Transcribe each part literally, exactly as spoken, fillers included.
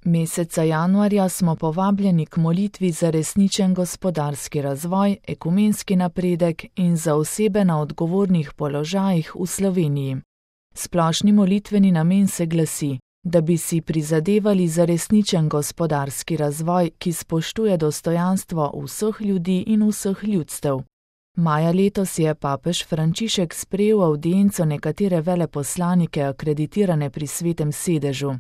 Meseca januarja smo povabljeni k molitvi za resničen gospodarski razvoj, ekumenski napredek in za osebe na odgovornih položajih v Sloveniji. Splošni molitveni namen se glasi, da bi si prizadevali za resničen gospodarski razvoj, ki spoštuje dostojanstvo vseh ljudi in vseh ljudstev. Maja letos je papež Frančišek sprejel avdienco nekatere veleposlanike akreditirane pri Svetem sedežu.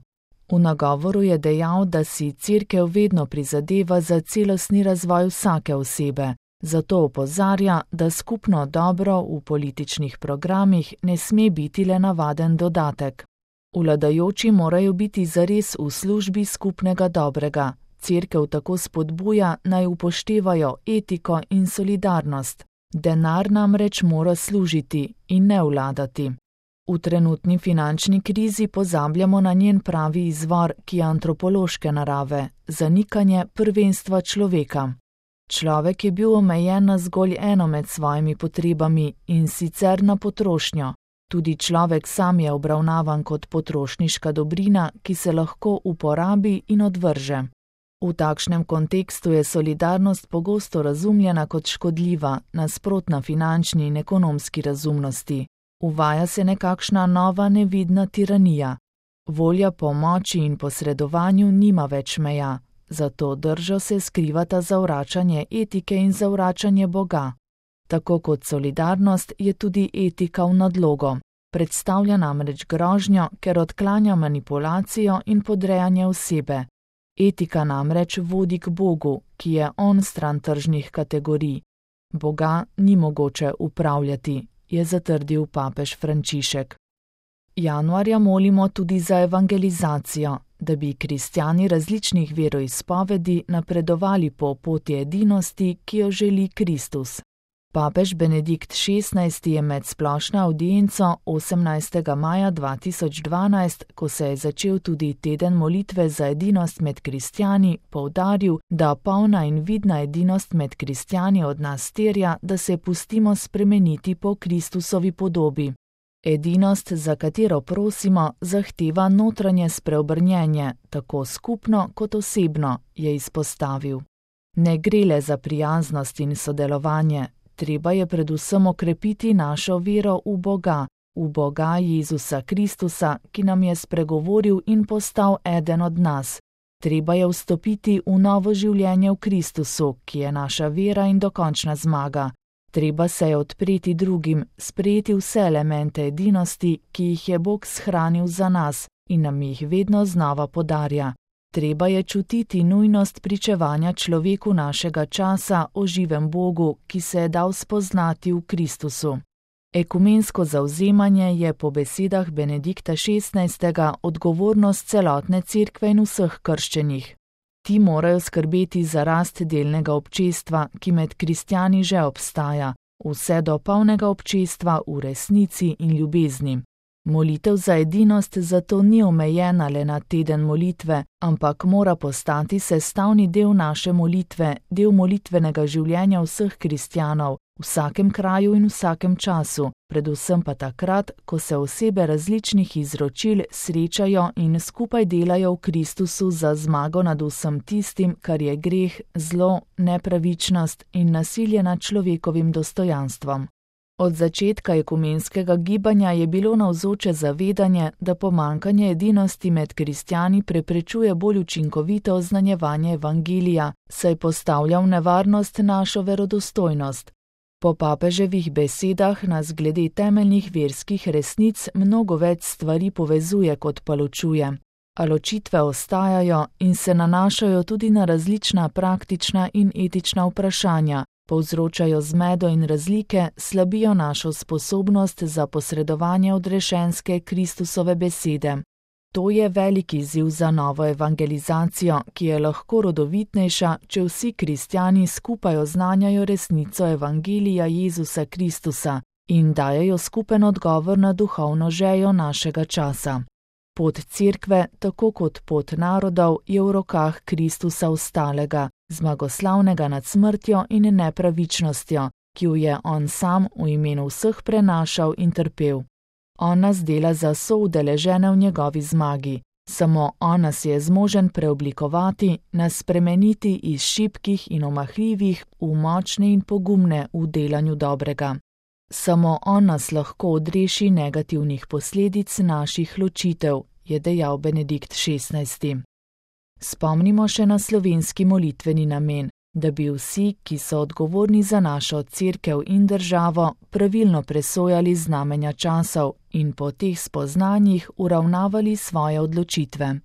V nagovoru je dejal, da si Cerkev vedno prizadeva za celostni razvoj vsake osebe, zato opozarja, da skupno dobro v političnih programih ne sme biti le navaden dodatek. Vladajoči morajo biti zares v službi skupnega dobrega. Cerkev tako spodbuja, naj upoštevajo etiko in solidarnost. Denar namreč mora služiti in ne vladati. V trenutni finančni krizi pozabljamo na njen pravi izvor, ki je antropološke narave, zanikanje prvenstva človeka. Človek je bil omejen na zgolj eno med svojimi potrebami in sicer na potrošnjo. Tudi človek sam je obravnavan kot potrošniška dobrina, ki se lahko uporabi in odvrže. V takšnem kontekstu je solidarnost pogosto razumljena kot škodljiva, nasprotna finančni in ekonomski razumnosti. Uvaja se nekakšna nova nevidna tiranija. Volja po moči in posredovanju nima več meja, zato držo se skrivata zavračanje etike in zavračanje Boga. Tako kot solidarnost je tudi etika v nadlogo. Predstavlja namreč grožnjo, ker odklanja manipulacijo in podrejanje osebe. Etika namreč vodi k Bogu, ki je on stran tržnih kategorij. Boga ni mogoče upravljati, je zatrdil papež Frančišek. Januarja molimo tudi za evangelizacijo, da bi kristjani različnih veroizpovedi napredovali po poti edinosti, ki jo želi Kristus. Papež Benedikt šestnajsti je med splošno avdienco osemnajstega maja dva tisoč dvanajst, ko se je začel tudi teden molitve za edinost med kristjani, poudaril, da polna in vidna edinost med kristjani od nas terja, da se pustimo spremeniti po Kristusovi podobi. Edinost, za katero prosimo, zahteva notranje spreobrnjenje, tako skupno kot osebno, je izpostavil. Ne gre le za prijaznost in sodelovanje. Treba je predvsem okrepiti našo vero v Boga, v Boga Jezusa Kristusa, ki nam je spregovoril in postal eden od nas. Treba je vstopiti v novo življenje v Kristusu, ki je naša vera in dokončna zmaga. Treba se je odpreti drugim, sprejeti vse elemente edinosti, ki jih je Bog shranil za nas in nam jih vedno znova podarja. Treba je čutiti nujnost pričevanja človeku našega časa o živem Bogu, ki se je dal spoznati v Kristusu. Ekumensko zavzemanje je po besedah Benedikta šestnajstega odgovornost celotne cerkve in vseh krščenih. Ti morajo skrbeti za rast delnega občestva, ki med kristjani že obstaja, vse do polnega občestva v resnici in ljubezni. Molitev za edinost zato ni omejena le na teden molitve, ampak mora postati sestavni del naše molitve, del molitvenega življenja vseh kristjanov, v vsakem kraju in vsakem času, predvsem pa takrat, ko se osebe različnih izročil srečajo in skupaj delajo v Kristusu za zmago nad vsem tistim, kar je greh, zlo, nepravičnost in nasilje nad človekovim dostojanstvom. Od začetka ekumenskega gibanja je bilo navzoče zavedanje, da pomanjkanje edinosti med kristjani preprečuje bolj učinkovito oznanjevanje evangelija, saj postavlja v nevarnost našo verodostojnost. Po papeževih besedah nas glede temeljnih verskih resnic mnogo več stvari povezuje kot pa ločuje. A ločitve ostajajo in se nanašajo tudi na različna praktična in etična vprašanja, povzročajo zmedo in razlike, slabijo našo sposobnost za posredovanje odrešenske Kristusove besede. To je velik izziv za novo evangelizacijo, ki je lahko rodovitnejša, če vsi kristjani skupaj oznanjajo resnico evangelija Jezusa Kristusa in dajejo skupen odgovor na duhovno željo našega časa. Pot cerkve, tako kot pot narodov, je v rokah Kristusa ostalega, zmagoslavnega nad smrtjo in nepravičnostjo, ki jo je on sam v imenu vseh prenašal in trpel. On nas dela za soudeležene v njegovi zmagi, Samo on nas je zmožen preoblikovati, nas spremeniti iz šibkih in omahljivih v močne in pogumne v delanju dobrega. Samo on nas lahko odreši negativnih posledic naših ločitev, je dejal Benedikt šestnajsti. Spomnimo še na slovenski molitveni namen, da bi vsi, ki so odgovorni za našo cerkev in državo, pravilno presojali znamenja časov in po teh spoznanjih uravnavali svoje odločitve.